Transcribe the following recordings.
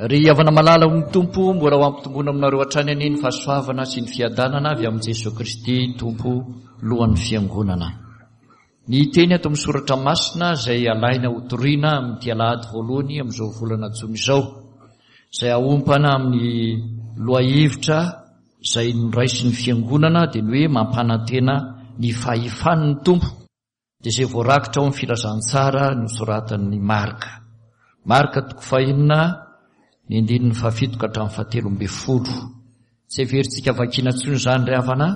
Ry havana malala ao amin'ny Tompo, mbola ho ampitomboina aminareo hatrany anie ny fahasoavana sy ny fiadanana avy amin'i Jesoa Kristy Tompo Lohan'ny Fiangonana. Ny teny ato amin'ny Soratra Masina izay alaina ho toriana amin'ity alahady voalohany amin'izao volana jona izao, izay aompana amin'ny lohahevitra izay noraisin'ny Fiangonana dia ny hoe mampanantena ny fahefan'ny Tompo. Dia izay voarakitra ao amin'ny filazantsara nosoratan'i Marka. Marka toko fahenina, ny andininy fahafito ka hatramin'ny fahatelo ambin'ny folo. Tsy heverintsika vakiana intsony izany ry havana,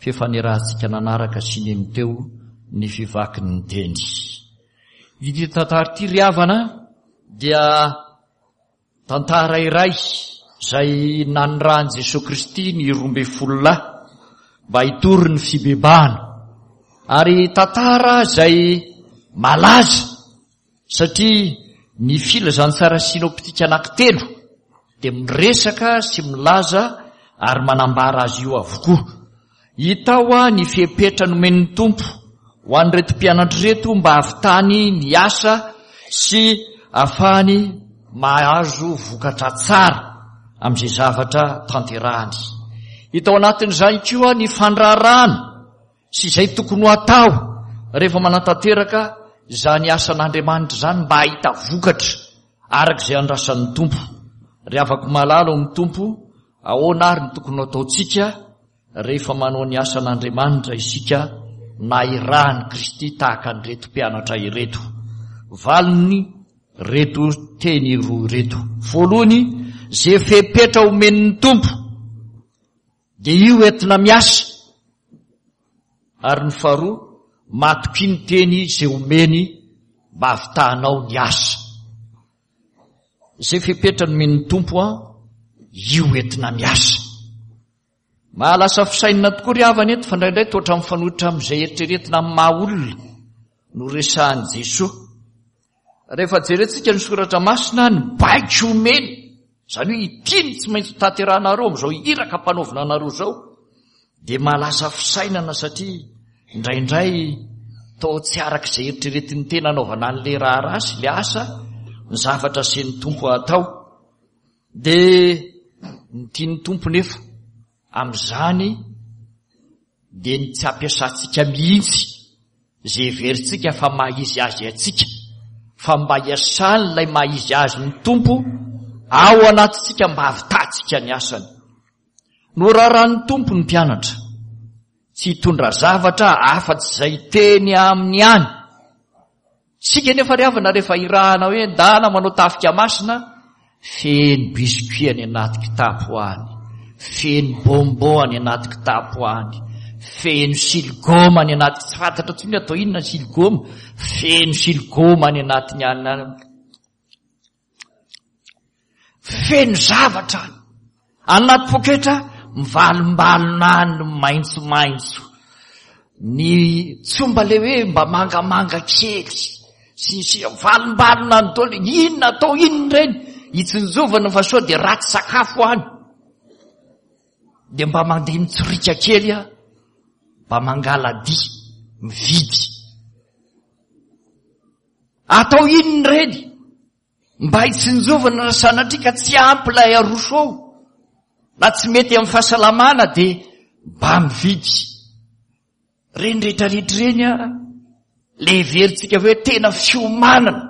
f'efa niarahantsika nanaraka sy nino teo ny fivakin'ny teny. Ity tantara ity ry havana dia Tantara iray izay nanirahan'i Jesoa Kristy ny 12 lahy mba hitory ny fibebahana. Ary tantara izay malaza satria ny filazantsara sinoptika anankitelo dia miresaka sy milaza ary manambara azy io avokoa. Hita ao ny fepetra nomen'ny Tompo ho an'ireto mpianatra ireto mba hahavitany ny asa sy hahafahany mahazo vokatra tsara amin'izay zavatra tanterahany. Hita ao anatin'izany koa ny fandraharahana sy izay tokony ho atao rehefa manatanteraka izany asan'Andriamanitra izany mba hahita vokatra araka izay andrasan'ny Tompo. Ry havako malala ao amin'ny Tompo, ahoana ary ny tokony ho ataontsika Rehefa manao ny asan'Andriamanitra isika na irahan'i Kristy tahaka an'ireto mpianatra ireto. Valiny reto teny roa ireto. Voalohany, ze fepetra omen'ny Tompo dia io entina miasa. Ary ny faharoa, matokia ny teny ze omeny mba havitahanao ny asa. Ze fepetra nomen'ny Tompo an, io entina miasa. Mahalasa fisainana tokoa ry havana eto fa indraindray toa ohatran'ny mifanohitra amin'izay eritreretina amin'ny maha olona no resahan'i Jesoa. Rehefa jerentsika ny soratra masina, ny baiko omeny, izany hoe ity no tsy maintsy hotanterahanareo amin'izao iraka ampanaovina anareo izao, dia mahalasa fisainana satria indraindray toa tsy araka izay eritreretin'ny tena anaovana an'ilay raharaha sy ilay asa ny zavatra asen'ny Tompo atao. Dia ny tian'ny Tompo nefa amin'izany dia ny tsy hampiasantsika mihitsy izay heverintsika fa maha izy azy antsika, fa mba hiasan'ilay maha izy azy ny Tompo ao anatintsika mba hahavitantsika ny asany. Norarahan'ny Tompo ny mpianatra tsy hitondra zavatra afa-tsy izay teny aminy ihany. Isika anefa ry havana rehefa irahana hoe ndana manao tafika masina, feno biscuit any anaty kitapo any, feno bonbon any anaty kitapo any, feno siligoma any anaty, tsy fantatra intsony atao inona ny siligoma, feno siligoma any anatiny any. Feno zavatra any. Anaty poketra mivalombalona any ny maitsomaitso. Ny tsy mba le hoe mba mangamanga kely sy ny sisa mivalombalona any daholo. Inona atao inona ireny? Hitsinjovana fa sao dia ratsy sakafo any. Dia mba mandeha mitsoriaka kely aho, mba mangala-dia, mividy. Atao inona ireny? Mba hitsinjovana raha sanatria ka tsy ampy ilay aroso ao, na tsy mety amin'ny fahasalamana dia mba mividy. Ireny rehetra rehetra ireny a, le heverintsika hoe tena fiomanana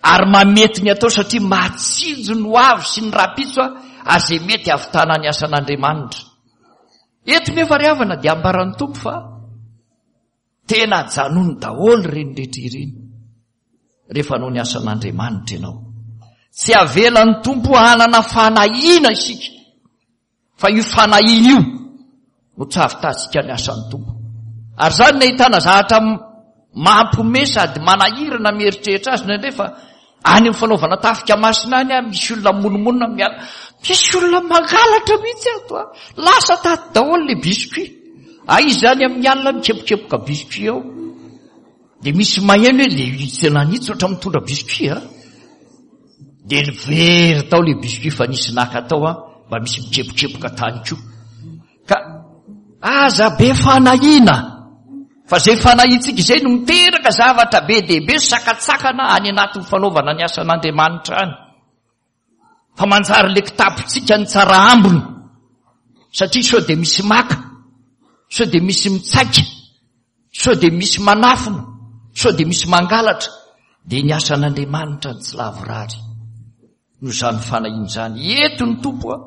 ary mamety ny atao satria mahatsinjo ny ho avy sy ny rahampitso a, ary izay mety hahavitana ny asan'Andriamanitra. Eto nefa ry havana dia ambaran'ny Tompo fa Tena ajanony daholo ireny rehetra ireny rehefa hanao ny asan'Andriamanitra ianao. Tsy avelan'ny Tompo hanana fanahiana isika fa io fanahiana io no tsy ahavitantsika ny asan'ny Tompo. Ary izany no ahitana zavatra mampiomehy sady manahirana mieritreritra azy indraindray fa Any amin'ny fanaovana tafika masina any ah, misy olona monomonona miala. Misy olona mangalatra mihitsy ato ah. Lasa tato daholo le biscuit. Aiza izany amin'ny alina mikepokepoka biscuit ao. Dia misy maheno hoe le tena nitsy ohatran'ny mitondra biscuit ah. Dia very tao le biscuit fa nisy naka tao ah, mba misy mikepokepoka tany koa. Ka aza be fanahiana fa izay fanahiantsika izay no miteraka zavatra be dia be sakatsakana any anatin'ny fanaovana ny asan'Andriamanitra any. Fa manjary le kitapontsika ny tsara ambiny. Satria sao dia misy maka, sao dia misy mitsaika, sao dia misy manafina, sao dia misy mangalatra, dia ny asan'Andriamanitra ny tsy lavorary. Noho izany fanahiana izany, eto ny Tompo a,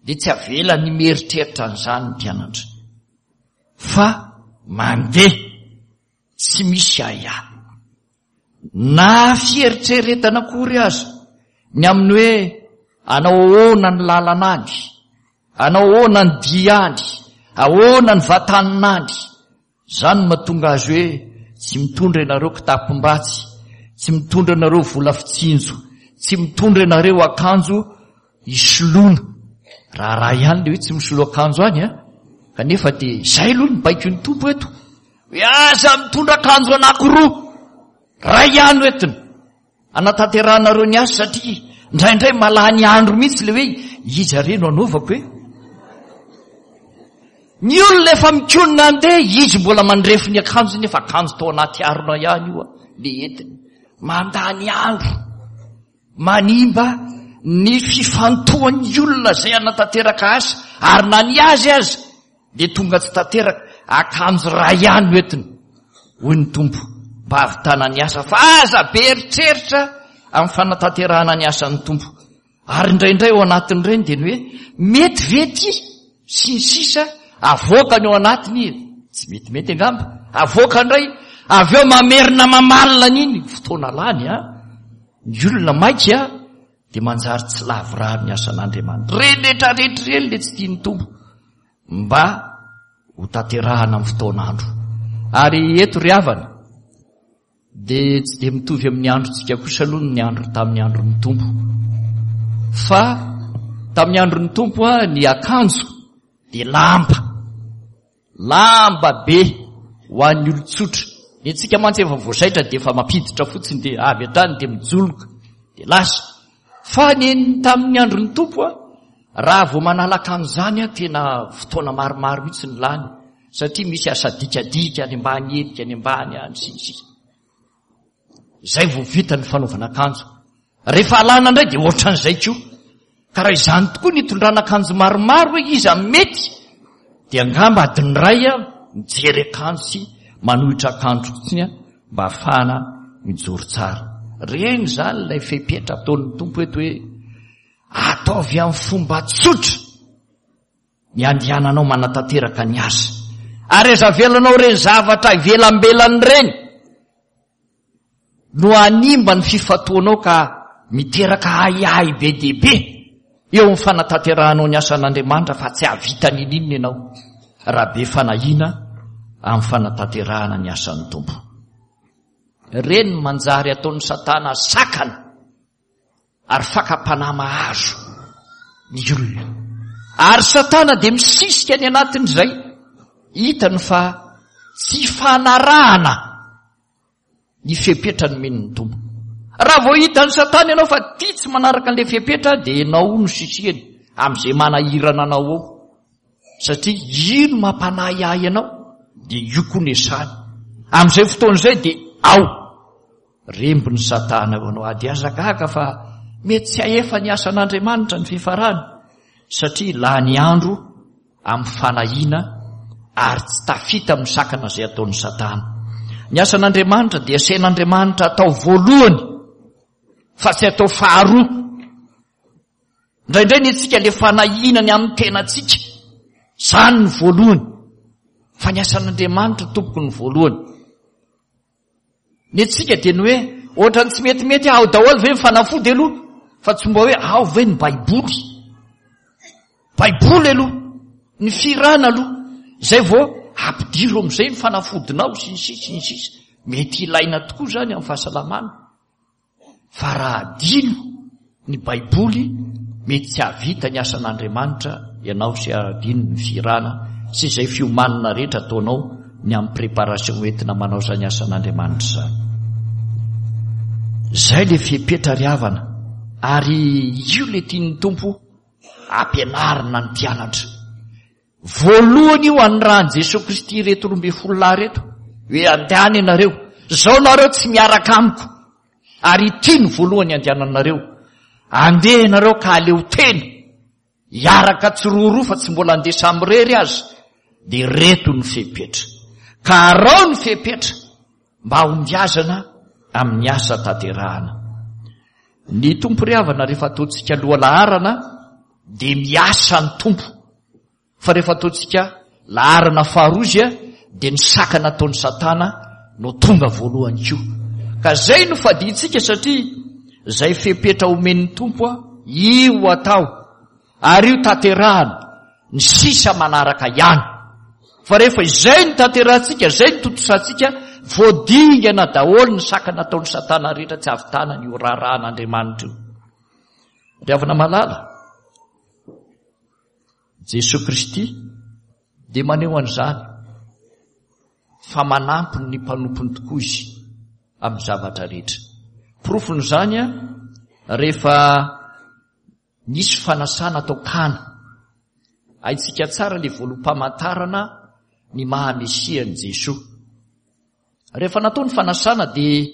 dia tsy avelany mieritreritra an'izany ny mpianatra. Fa mandeha tsy misy ahiahy. Na fieritreretana akory aza ny amin'ny hoe anao ahoana ny lalana any, anao ahoana ny dia any, ahoana ny vatanina any. Izany no mahatonga azy hoe tsy mitondra ianareo kitapom-batsy, tsy mitondra ianareo vola fitsinjo, tsy mitondra ianareo akanjo hisoloana. Raharaha ihany le hoe tsy misolo akanjo any a, kanefa dia izay aloha ny baikon'ny Tompo eto. Hoe aza mitondra akanjo anankiroa, ray ihany no entina. Anatanterahanareo ny asa satria indraindray malany andro mihitsy le hoe iza re no anaovako e? Ny olona efa mikonona andeha, izy mbola mandrefy ny akanjony nefa akanjo tao anaty harona ihany io le entiny. Mandany andro, manimba ny fifantohan'ny olona izay hanatanteraka asa ary na ny azy aza dia tonga tsy tanteraka, akanjo iray ihany no entiny, hoy ny Tompo, mba hahavitana ny asa, fa aza be eritreritra amin'ny fanatanterahana ny asan'ny Tompo. Ary indraindray ao anatin'ireny dia ny hoe, mety ve ity? Sy ny sisa, avoakany ao anatiny, tsy metimety angamba, avoaka indray, avy eo mamerina mamalina an'iny, fotoana lany an, ny olona maika dia manjary tsy lavorary ny asan'Andriamanitra. Ireny rehetra rehetra ireny ilay tsy tian'ny Tompo mba ho tanterahana amin'ny fotoan'andro. Ary eto ry havana dia tsy dia mitovy amin'ny androntsika kosa aloha ny andro tamin'ny andron'ny Tompo. Fa tamin'ny andron'ny Tompo ny akanjo dia lamba. Lamba be ho an'ny olon-tsotra. Ny antsika mantsy efa voazaitra dia efa mampiditra fotsiny dia avy hatrany dia mijoloka dia lasa. Fa ny tamin'ny andron'ny Tompo a, raha vao manala akanjo izany a, tena fotoana maromaro mihitsy ny lany satria misy asa dikadika any ambany helika any ambany any sy ny sisa. Izay vao vita ny fanaovana akanjo. Rehefa alana indray dia ohatran'izay koa. Ka raha izany tokoa ny hitondrana akanjo maromaro hoe iza mety dia angamba adiny iray a mijery akanjo sy manohitra akanjo fotsiny a mba hahafahana mijoro tsara. Reny izany ilay fepetra ataon'ny Tompo eto hoe ataovy amin'ny fomba tsotra. ny andehananao manatanteraka ny asa. Ary aza avelanao ireny zavatra ivelambelany ireny no hanimba ny fifantohanao ka miteraka ahiahy be dia be eo amin'ny fanatanterahanao ny asan'Andriamanitra fa tsy hahavita n'ininona ianao raha be fanahiana amin'ny fanatanterahana ny asan'ny Tompo. Ireny manjary ataon'ny Satana sakana ary fakam-panahy mahazo ny olona. Ary Satana dia misisika any anatin'izay hitany fa tsy fanarahana ny fepetra nomen'ny Tompo. Raha vao hitan'i Satana ianao fa tia tsy manaraka an'ilay fepetra dia ianao no sisihany amin'izay manahirana anao ao. Satria io no mampanahy ahy anao dia io koa ny esany. Amin'izay fotoana izay dia ao. Rembin'i Satana eo anao ady. Aza gaga fa mety tsy hahefa ny asan'Andriamanitra ny fifarany satria lany andro amin'ny fanahiana ary tsy tafita amin'ny sakana izay ataon'i Satana. Ny asan'Andriamanitra dia asain'Andriamanitra atao voalohany fa tsy atao faharoa. Indraindray ny antsika le fanahiana ny amin'ny tenantsika, izany ny voalohany. Fa ny asan'Andriamanitra tompoko ny voalohany. Ny antsika dia ny hoe ohatran'ny tsy metimety ao daholo ve ny fanafody aloha fa tsy mba hoe ao ve ny baiboly. Baiboly aloha, ny firana aloha, izay vao ampidiro amin'izay ny fanafodinao sy ny sisa sy ny sisa. Mety ilaina tokoa izany amin'ny fahasalamana. Fa raha adino ny baiboly mety tsy hahavita ny asan'Andriamanitra ianao sy adino ny fihirana sy izay fiomanana rehetra ataonao ny amin'ny préparation entina manao izany asan'Andriamanitra izany. Izay le fepetra ry havana ary io le tian'ny Tompo ampianarina ny mpianatra. Voalohany io anirahan'i Jesoa Kristy ireto 12 lahy ireto hoe andehana ianareo, zao nareo tsy miaraka amiko ary ity no voalohany andehananareo. Andeha ianareo ka aleo tena, hiaraka tsiroaroa fa tsy mbola andeha samirery aza, dia ireto ny fepetra. Ka arao ny fepetra mba hahombiazana amin'ny asa tanterahana. Ny Tompo ry havana rehefa ataontsika lohalaharana dia miasa ny Tompo. Fa rehefa ataontsika laharana faharoa izy dia ny sakana ataon'i Satana no tonga voalohany koa. Ka zay no fadintsika satria zay fepetra omen'ny Tompo io atao ary io tanterahana, ny sisa manaraka ihany. Fa rehefa izay no tanterahantsika, izay no tontosantsika, voadingana daholo ny sakana ataon'i Satana rehetra tsy hahavitana an'io raharahan'Andriamanitra io. Ry havana malala, Jesoa Kristy dia maneho an'izany fa manampy ny mpanompony tokoa Izy amin'ny zavatra rehetra. Porofon'izany rehefa nisy fanasana atao Kana. Haintsika tsara ilay voaloham-pamantarana ny maha Mesia an'i Jesoa. Rehefa natao ny fanasana dia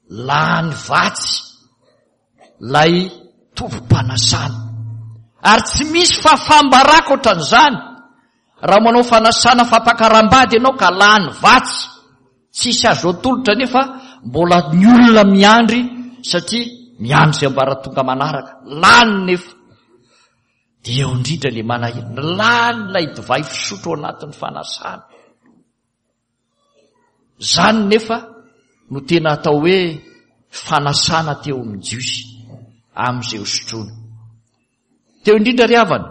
lany vatsy ilay tompom-panasana. Ary tsy misy fahafaham-baraka ohatran'izany raha manao fanasana fampakaram-bady ianao ka lany vatsy. Tsisy azo atolotra nefa mbola ny olona miandry satria miandry izay ambaratonga manaraka. Lany nefa. Dia eo indrindra ilay manahirana. Lany ilay divay fisotro ao anatin'ny fanasana. Izany nefa no tena atao hoe fanasana teo amin'ny Jiosy amin'izay hosotroina. Teo indrindra ry havana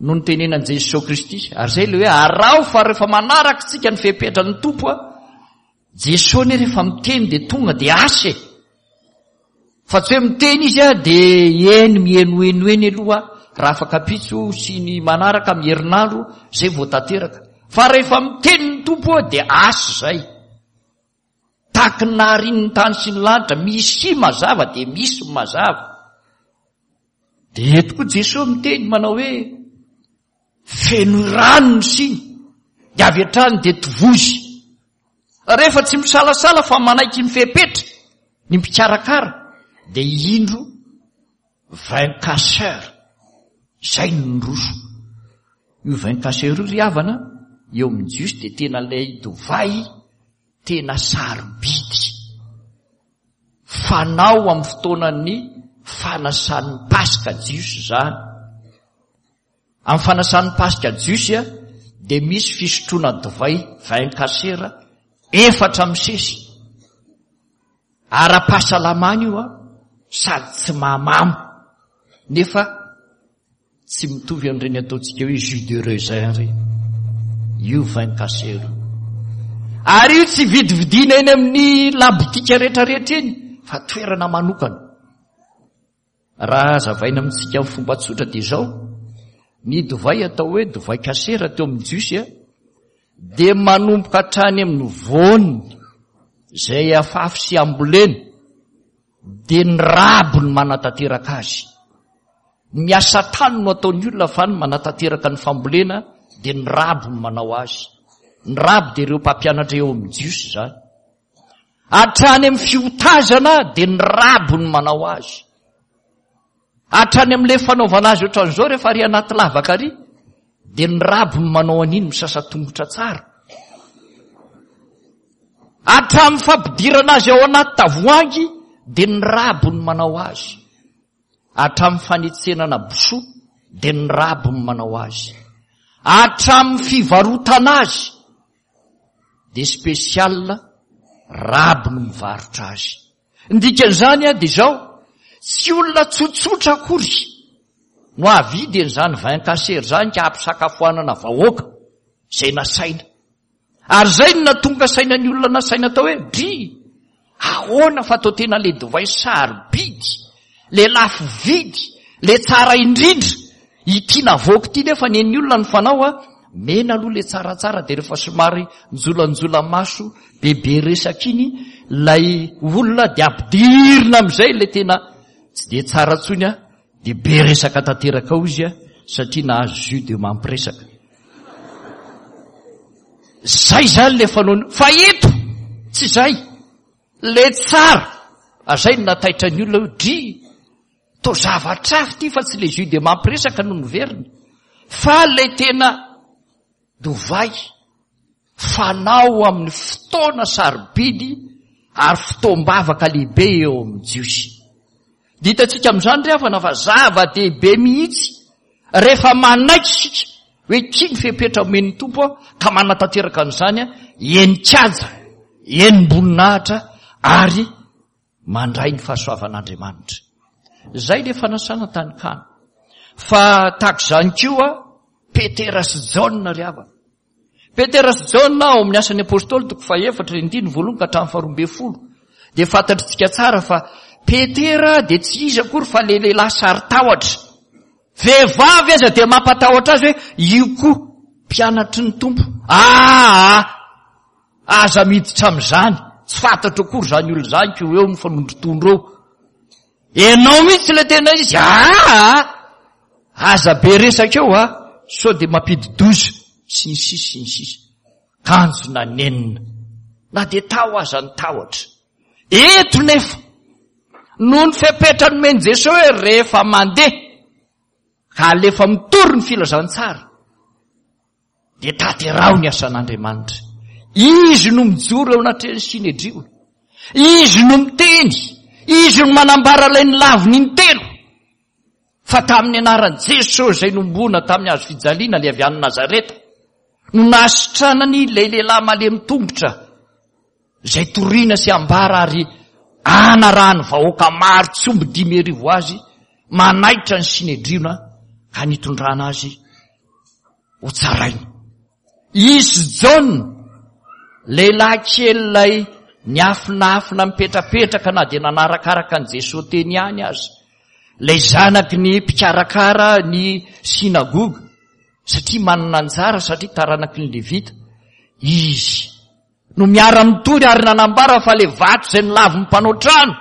no nitenenan'i Jesoa Kristy, ary izay ilay hoe araho fa rehefa manaraka isika ny fepetran'ny Tompo a, Jesoa anie rehefa miteny dia tonga dia asa e. Fa tsy hoe miteny izy a dia eny mihenoheno eny aloha raha afaka ampitso sy ny manaraka amin'ny herinandro izay vao tanteraka. Fa rehefa miteny ny Tompo a dia asa izay. Tahaky ny naharian'ny tany sy ny lanitra, misy mazava dia misy ny mazava. Dia eto koa Jesoa miteny manao hoe feno rano ny siny dia avy hatrany dia tovozy. Rehefa tsy misalasala fa manaiky ny fepetra ny mpikarakara dia indro vin casseur izay no niroso. Io vin casseur io ry havana eo amin'ny Jiosy dia tena ilay divay tena sarobidy fanao amin'ny fotoanan'ny fanasan'ny Paska Jiosy izany. Amin'ny fanasan'ny Paska Jiosy dia misy fisotroana divay vin kasera efatra misesy. Ara-pahasalamana io sady tsy mahamamo nefa tsy mitovy amin'ireny ataontsika hoe jus de raisin ireny. Io vin kasera io. Ary io tsy vidividiana eny amin'ny labotika rehetrarehetra eny fa toerana manokana. Raha hazavaina amintsika amin'ny fomba tsotra dia izao, ny divay atao hoe divay kasera teo amin'ny Jiosy dia manomboka hatrany amin'ny voany izay afafy sy ambolena dia ny raby no manatanteraka azy. Ny asa tany no ataon'ny olona fa ny manatanteraka ny fambolena dia ny raby no manao azy. Ny raby dia ireo mpampianatra eo amin'ny Jiosy izany. Hatrany amin'ny fiotazana dia ny raby no manao azy. Hatrany amin'ilay fanaovana azy ohatran'izao rehefa ary anaty lavaka ary dia ny raby no manao an'iny misasa tongotra tsara. Hatramin'ny fampidirana azy ao anaty tavoahangy dia ny raby no manao azy. Hatramin'ny fanetsenana bosoa dia ny raby no manao azy. Hatramin'ny fivarotana azy dia spécial raby no mivarotra azy. Ny dikan'izany dia izao, tsy olona tsotsotra akory no hahavidy an'izany vin kasera izany ka hampisakafoanana vahoaka izay nasaina. Ary izay no nahatonga saina ny olona nasaina atao hoe, dry, ahoana fa atao tena le divay sarobidy, le lafo vidy, le tsara indrindra, ity navoaka ity nefa nen'ny olona ny fanao a, mena aloha le tsaratsara dia rehefa somary njolanjola maso bebe resaka iny ilay olona dia ampidirina amin'izay le tena tsy dia tsara tsony a, dia be resaka tanteraka ao izy a, satria nahazo jus de mampiresaka. Zay zany le fanaony, fa eto tsy zay, le tsara, azay no nataitra ny olona hoe dry. Toa zavatra hafa ity fa tsy le jus de mampiresaka no noverina fa le tena divay fanao amin'ny fotoana sarobidy ary fotoam-bavaka lehibe eo amin'ny Jiosy. Dia hitantsika amin'izany ry havana fa zava-dehibe mihitsy rehefa manaiky isika hoe ity ny fepetra omen'ny Tompo ka manatanteraka an'izany, enin-kaja, enim-boninahitra ary mandray ny fahasoavan'Andriamanitra. Izay ilay fanasana tany Kana. Fa tahaka izany koa Petera sy Jaona ry havana. Petera sy Jaona ao amin'ny asan'ny Apostoly toko fahefatra ny andininy voalohany ka hatramin'ny faharoa ambin'ny folo dia fantatritsika tsara fa Petera dia tsy iza akory fa ilay lehilahy saro-tahotra. Vehivavy aza dia mampatahotra azy hoe io koa mpianatry ny Tompo. Aa! Aza miditra amin'izany, tsy fantatro akory izany olona izany ko eo mifanondrotondro eo. Ianao mihitsy ilay tena izy, aa! Aza be resaka eo a, sao dia mampidi-doza, sy ny sisa sy ny sisa. Kanjo nanenina, na dia tao aza ny tahotra. Eto nefa, noho ny fepetra nomen'i Jesoa hoe rehefa mandeha, ka alefa mitory ny filazantsara, dia tanteraho ny asan'Andriamanitra. Izy no mijoro eo anatrehan'ny Synedriona. Izy no miteny. Izy no manambara ilay nilaviny intelo. Fa tamin'ny anaran'i Jesosy izay nomboana tamin'ny hazo fijaliana ilay avy any Nazareta no nahasitranany ilay lehilahy malemy tongotra izay torina sy ambara ary anarahan'ny vahoaka maro tsy omby 5000 azy manaitra ny Synedriona ka nitondrana azy ho tsaraina. Izy Jaona, lehilahy kely ilay niafinafina mipetrapetraka na dia nanarakaraka an'i Jesoa teny ihany aza, ilay zanaky ny mpikarakara ny synagoga, satria manana anjara, satria taranaky ny Levita, izy no miara-mitory ary nanambara fa ilay vato izay nolavin'ny mpanao trano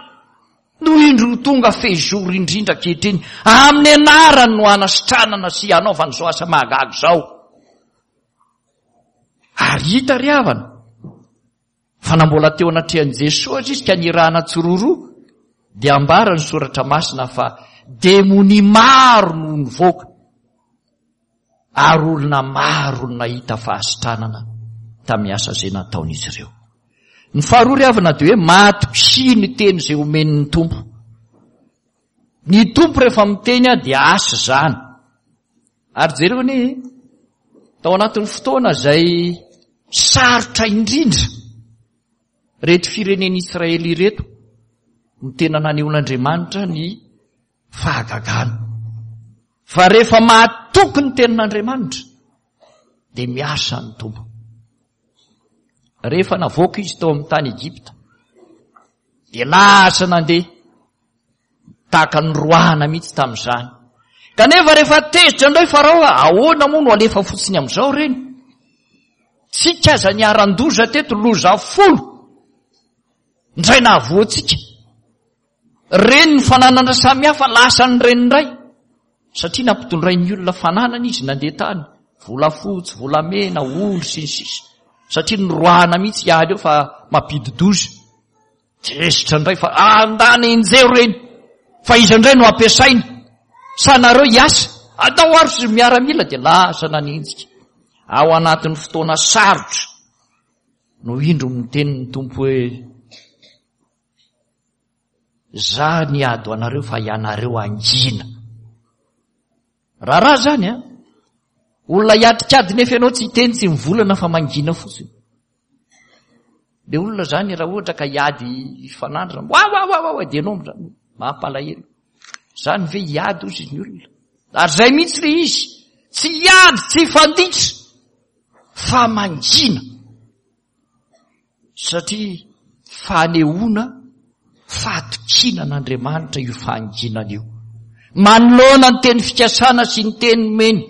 no indro ho tonga fehizoro indrindra ankehitriny. Amin'ny anarany no hanasitranana sy hanaovana izao asa mahagaga izao. Ary hita ry havana fa na mbola teo anatrehan'i Jesoa aza izy ka nirahana tsiroaroa dia ambara ny soratra masina fa demonia maro no nivoaka. Ary olona maro no nahita fahasitranana tamin'ny asa izay nataon'izy ireo. Ny faharoa ry havana dia hoe matokia ny teny izay omen'ny Tompo. Ny Tompo rehefa miteny dia asa izany. Ary jereo anie, tao anatin'ny fotoana izay sarotra indrindra, ireto firenen'Israely ireto no tena nanehoan'Andriamanitra ny fahagagana. Fa rehefa mahatoky ny tenin'Andriamanitra dia miasa ny Tompo. Rehefa navoaka izy tao amin'ny tany Egypta dia lasa nandeha tahaka ny roahana mihitsy tamin'izany. Kanefa rehefa tezitra indray Farao, ahoana moa no alefa fotsiny amin'izao ireny? Tsika aza niharan-doza teto, loza folo indray nahavoa antsika. Reny ny fananana samihafa lasan'ny reny indray satria nampitondrain'ny olona fananana izy nandeha tany, volafotsy, volamena, ondry sy ny sisa satria noroahana mihitsy hiala eo fa mampidi-doza. Tezitra indray fa andana enjeho reny fa iza indray no ampiasaina sa nareo hiasa? Andao ary sy miaramila dia lasa nanenjika. Ao anatin'ny fotoana sarotra no indro miteny ny Tompo hoe Za niady ho anareo fa ianareo hangina. Raharaha zany an! Olona hiatrik'ady nefa ianao tsy hiteny tsy mivolana fa mangina fotsiny. Le olona zany raha ohatra ka hiady hifanandrina, wa wa wa wa wa dia ianao amin'izany mampalahelo. Zany ve hiady ozy ny olona? Ary zay mihitsy le izy, tsy hiady, tsy hifanditra fa mangina. Satria fanehoana fahatokiana an'Andriamanitra io fahanginana io. Manoloana ny teny fikasana sy ny teny nomeny,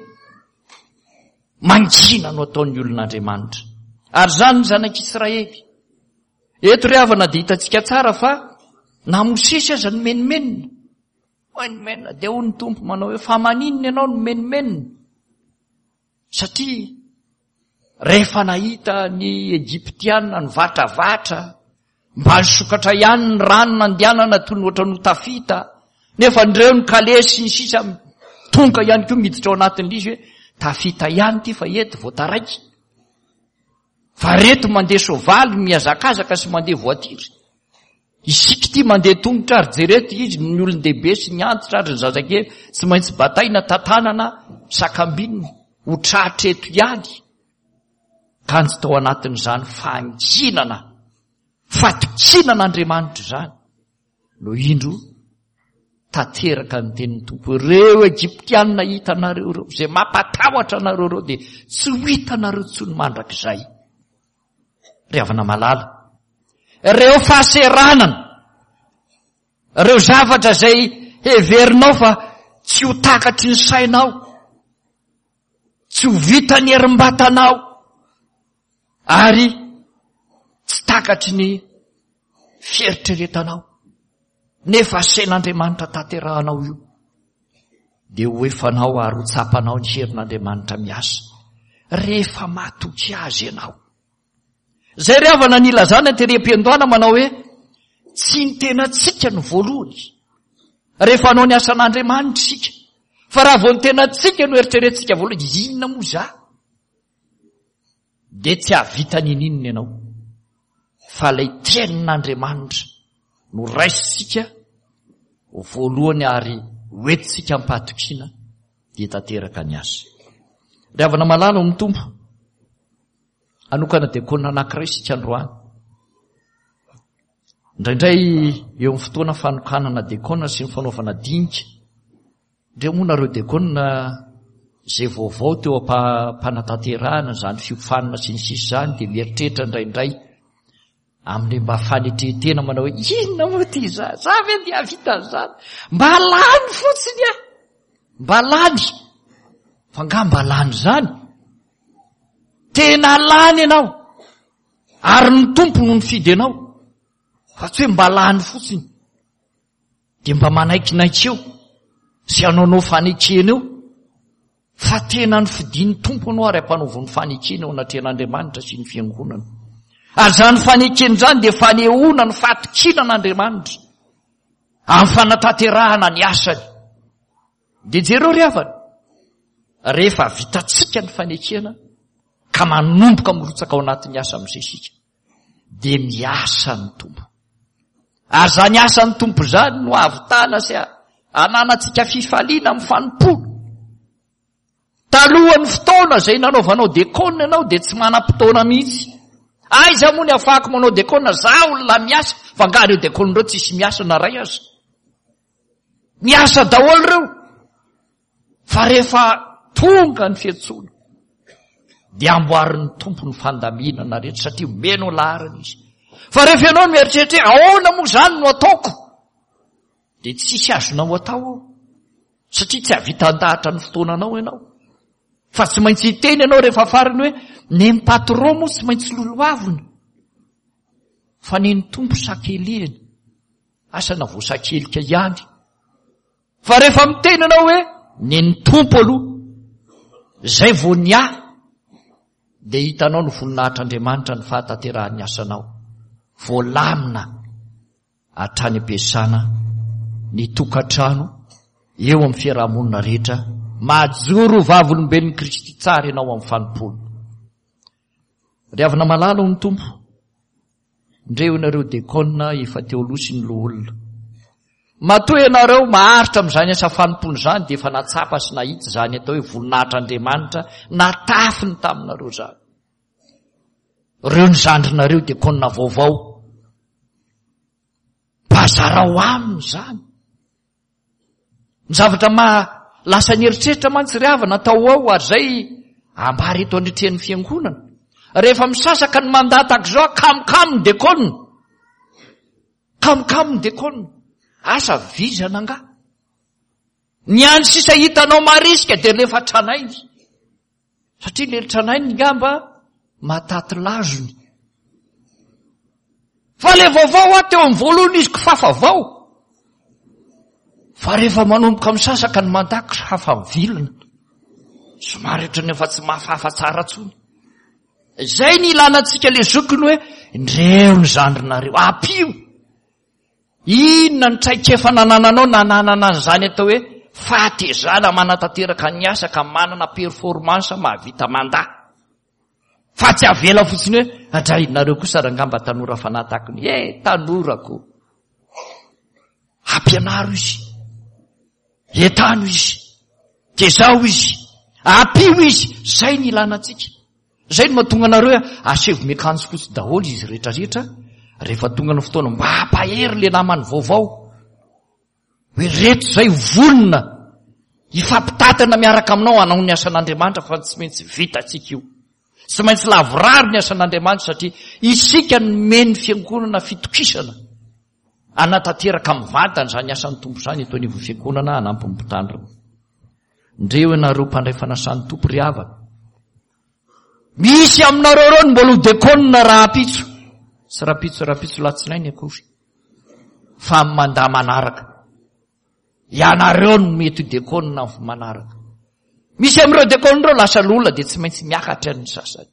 mangina no ataon'ny olon'Andriamanitra. Ary izany ny zanak'Israely. Eto ry havana dia hitantsika tsara fa na Mosesy aza nomenomenona. Menomenona dia hoy ny Tompo manao hoe fa maninona ianao no menomenona? Satria rehefa nahita ny Egyptiana nivatravatra, mba nisokatra ihany ny rano nandehanana toy ny ohatran'ny ho tafita. Nefa ndreo ny kalesy sy ny sisa tonga ihany koa miditra ao anatin'ilay izy hoe tafita ihany ity fa eto vao taraiky. Fa reto mandeha soavaly mihazakazaka sy mandeha voatiry. Isika ity mandeha tongotra ary jereto izy ny olon-dehibe sy ny antitra ary ny zazakely tsy maintsy bataina tantanana sakambinina ho tratra eto ihany. Kanjo tao anatin'izany fahanginana, fatokiana an'Andriamanitra izany no indro tanteraka ny tenin'ny Tompo. Ireo Egyptianina hitanareo ireo, izay mampatahotra anareo ireo dia tsy ho hitanareo intsony mandrakizay. Ry havana malala, ireo fahaseranana, ireo zavatra izay heverinao fa tsy ho takatry ny sainao, tsy ho vitan'ny herim-batanao, ary tsy takatry ny fieritreretanao, nefa asain'Andriamanitra tanterahanao io, dia ho efanao ary ho tsapanao ny herin'Andriamanitra miasa, rehefa matoky Azy ianao. Izay ry havana nilazana tery am-piandohana manao hoe, tsy ny tenantsika no voalohany, rehefa hanao ny asan'Andriamanitra isika, fa raha vao ny tenantsika no eritreretintsika voalohany, inona moa za? Dia tsy hahavita ninininona ianao. Fa ilay tenin'Andriamanitra no raisintsika ho voalohany ary hoentintsika am-pahatokiana dia tanteraka ny asa. Ry havana malala ao amin'ny Tompo, hanokana diakona anankiray isika androany. Indraindray eo amin'ny fotoana fanokanana diakona sy ny fanaovana dinika, Ndreo moa nareo dekona izay vaovao teo am-panatanterahana izany fiofanana sy ny sisa izany dia mieritreritra indraindray amin'ilay mba fanetren-tena manao hoe inona moa ity za? Za ve dia hahavita an'izany? Mba lany fotsiny aho! Mba lany! Fa angaha mba lany izany? Tena lany ianao! Ary ny Tompo no nifidy anao fa tsy hoe mba lany fotsiny. Dia mba manaikinaiky eo sy hanaonao fanekena eo fa tena nofidin'ny Tompo anao ary ampanaoviny fanekena eo anatrehan'Andriamanitra sy ny fiangonana. Ary izany fanekena izany dia fanehoana ny fatokiana an'Andriamanitra amin'ny fanatanterahana ny asany. Dia jereo ry havana, rehefa vitantsika ny fanekena ka manomboka mirotsaka ao anatin'ny asa amin'izay isika, dia miasa ny Tompo. Ary izany asan'ny Tompo izany no ahavitana sy ananantsika fifaliana amin'ny fanompoana. Talohan'ny fotoana izay nanaovanao dekona ianao dia tsy manam-potoana mihitsy. Aiza moa ny afahako manao dekona? Za olona miasa, fa angaha ireo dekona ireo tsisy miasa na iray aza? Miasa daholo ireo. Fa rehefa tonga ny fiantsoana dia amboarin'ny Tompo ny fandaminana rehetra satria omeny ho laharana izy. Fa rehefa ianao no mieritreritra hoe ahoana moa izany no ataoko dia tsisy azonao atao ao satria tsy hahavita handahatra ny fotoananao ianao. Fa tsy maintsy hiteny ianao rehefa farany hoe neny patron moa tsy maintsy lolohavina fa neny Tompo sakelihiny asa na voasakelika ihany. Fa rehefa miteny ianao hoe ny ny Tompo aloha, zay vao ny ahy, dia hitanao ny voninahitr'Andriamanitra ny fahatanterahan'ny asanao. Voalamina hatrany am-piasana, ny tokantrano, eo amin'ny fiarahamonina rehetra, mahajoro ho vavolombelon'i Kristy tsara ianao amin'ny fanompoana. Ry havana malala ao amin'ny Tompo, ndreo ianareo dekona efa teo aloha sy ny loholona. Matoa ianareo maharitra amin'izany asa fanompoana izany dia efa natsapa sy nahita izany atao hoe voninahitr'Andriamanitra natafiny taminareo izany. Ireo ny zandrinareo dekona vaovao. Mba zarao aminy izany. Ny zavatra maha lasa ny eritreritra mantsy ry havana atao ao ary izay ambara eto anatrehan'ny fiangonana. Rehefa misasaka ny mandat tahaka izao, kamokamo ny dekona. Kamokamo ny dekona. Asa vizana angaha. Ny any sisa hitanao marisika dia rehefa tranainy. Satria le tranainy ngamba mahataty lazony. Fa le vaovao aho teo amin'ny voalohany izy kifafa vao. Fa rehefa manomboka misasaka ny mandat kifafa mivilina. Somary ohatran'ny efa tsy mahafafa tsara tsony. Izay ny ilana antsika le zokiny hoe ndreo ny zandrinareo, ampio. Inona ny traikefa nanananao nananana an'izany atao hoe fahatezana manatanteraka ny asa ka manana performance mahavita mandà. Fa tsy avela fotsiny hoe adray nareo kosa rangaha mba tanora fanahy tahaka ny eh tanora ko. Ampianaro izy. Entano izy. Tezao izy. Ampio izy. Zay ny ilana antsika. Zay no mahatonga anareo hoe asevo miakanjo fotsy daholo izy rehetra rehetra rehefa tonga ny fotoana mba hampahery le namany vaovao. Hoe reto zay vonona hifampitatana miaraka aminao hanao ny asan'Andriamanitra fa tsy maintsy vitantsika io. Tsy maintsy lavorary ny asan'Andriamanitra satria isika nomen'ny fiangonana fitokisana hanatanteraka mivantana izany asan'ny Tompo izany eto anivon'ny fiangonana hanampy ny mpitandrina. Ndreo ianareo mpandray fanasan'ny Tompo ry havana. Misy aminareo ireo ny mbola ho dekonina rahampitso. Tsy rahampitso rahampitso latsinainy akory. Fa amin'ny mandat manaraka. Ianareo no mety ho dekonina amin'ny manaraka. Misy amin'ireo dekonina ireo lasa loholona dia tsy maintsy miakatra ny sasany.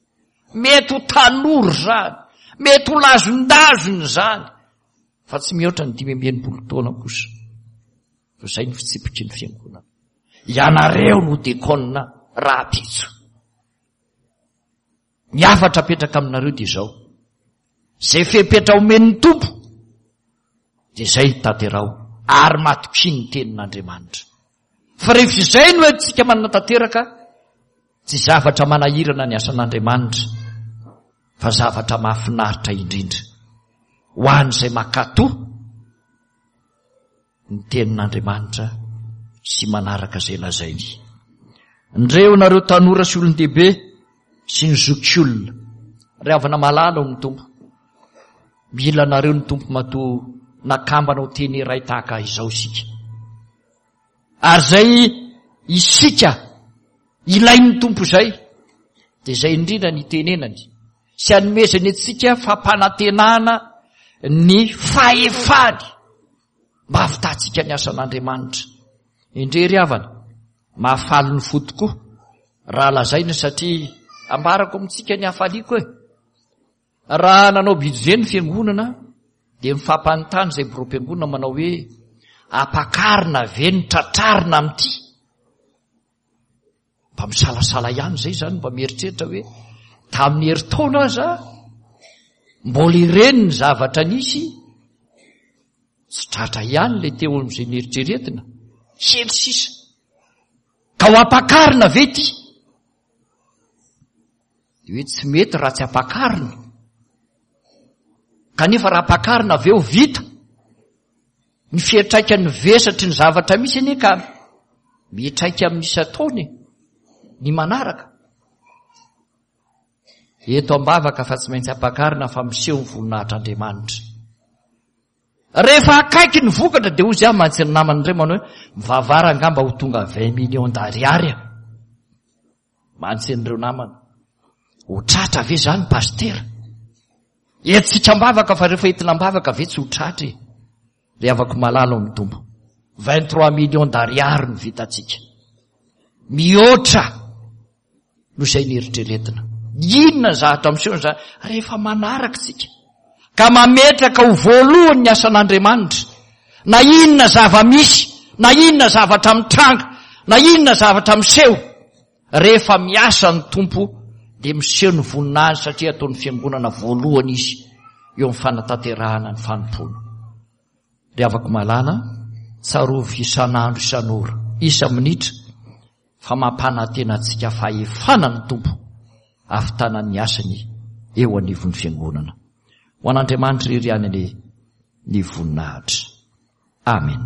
Mety ho tanora izany, mety ho lazondazona izany, fa tsy mihoatra ny 65 taona kosa. Fa izay no fitsipiky ny fiangonana. Ianareo no dekonina rahampitso. Ny hafatra apetraka aminareo dia izao. Izay fepetra omen'ny Tompo dia izay tanteraho ary matokia ny tenin'Andriamanitra. Fa rehefa izay no entintsika manatanteraka, tsy zavatra manahirana ny asan'Andriamanitra fa zavatra mahafinaritra indrindra ho an'izay mankatò ny tenin'Andriamanitra sy manaraka izay lazainy. Ndreo nareo tanora sy olon-dehibe sy ny zokiolona, ry havana malala ao amin'ny Tompo. Mila anareo ny Tompo matoa nakambana ho teny iray tahaka izao isika. Ary izay isika ilain'ny Tompo izay, dia izay indrindra ny itenenany sy anomezany antsika fampanantenana ny fahefany mba hahavitantsika ny asan'Andriamanitra. Indre ry havana, mahafaly ny fo tokoa raha lazaina satria ambarako amintsika ny hafaliako e. Raha nanao budget ny fiangonana dia mifampanontany izay biraom-piangonana manao hoe ampakarina ve ny tratrarina amin'ity? Mba misalasala ihany izay izany mba mieritreritra hoe tamin'ny herintaona aza mbola ireny ny zavatra nisy tsy tratra ihany ilay teo amin'izay nieritreretina kely sisa ka ho ampakarina ve ity? Dia hoe tsy mety raha tsy ampakarina. Kanefa raha ampakarina avy eo vita. Ny fiantraikan'ny vesatry ny zavatra misy anie ka miantraika amin'ny isan-taona e, ny manaraka. Eto am-bavaka fa tsy maintsy ampakarina fa miseho ny voninahitr'Andriamanitra. Rehefa akaiky ny vokatra dia hozy aho mantsy ny namana indray manao hoe mivavara angamba ho tonga 20 millions d'ariary. Mantsy an'ireo namana. Ho tratra ve izany pasitera? Entintsika am-bavaka fa rehefa entina am-bavaka ve tsy ho tratra e? Ry havako malala ao amin'ny Tompo. 23 millions d'ariary no vitantsika. Mihoatra no izay nieritreretina. Inona ny zavatra miseho izany? Rehefa manaraka isika ka mametraka ho voalohany ny asan'Andriamanitra, na inona zava-misy, na inona zavatra mitranga, na inona zavatra miseho, rehefa miasa ny Tompo dia miseho ny voninahiny satria ataon'ny fiangonana voalohany izy eo amin'ny fanatanterahana ny fanompoana. Ry havako malala, tsarovy isan'andro isan'ora, isa-minitra, fa mampanantena antsika fahefana ny Tompo hahavitana ny asany eo anivon'ny fiangonana. Ho an'Andriamanitra irery ihany anie ny voninahitra. Amen.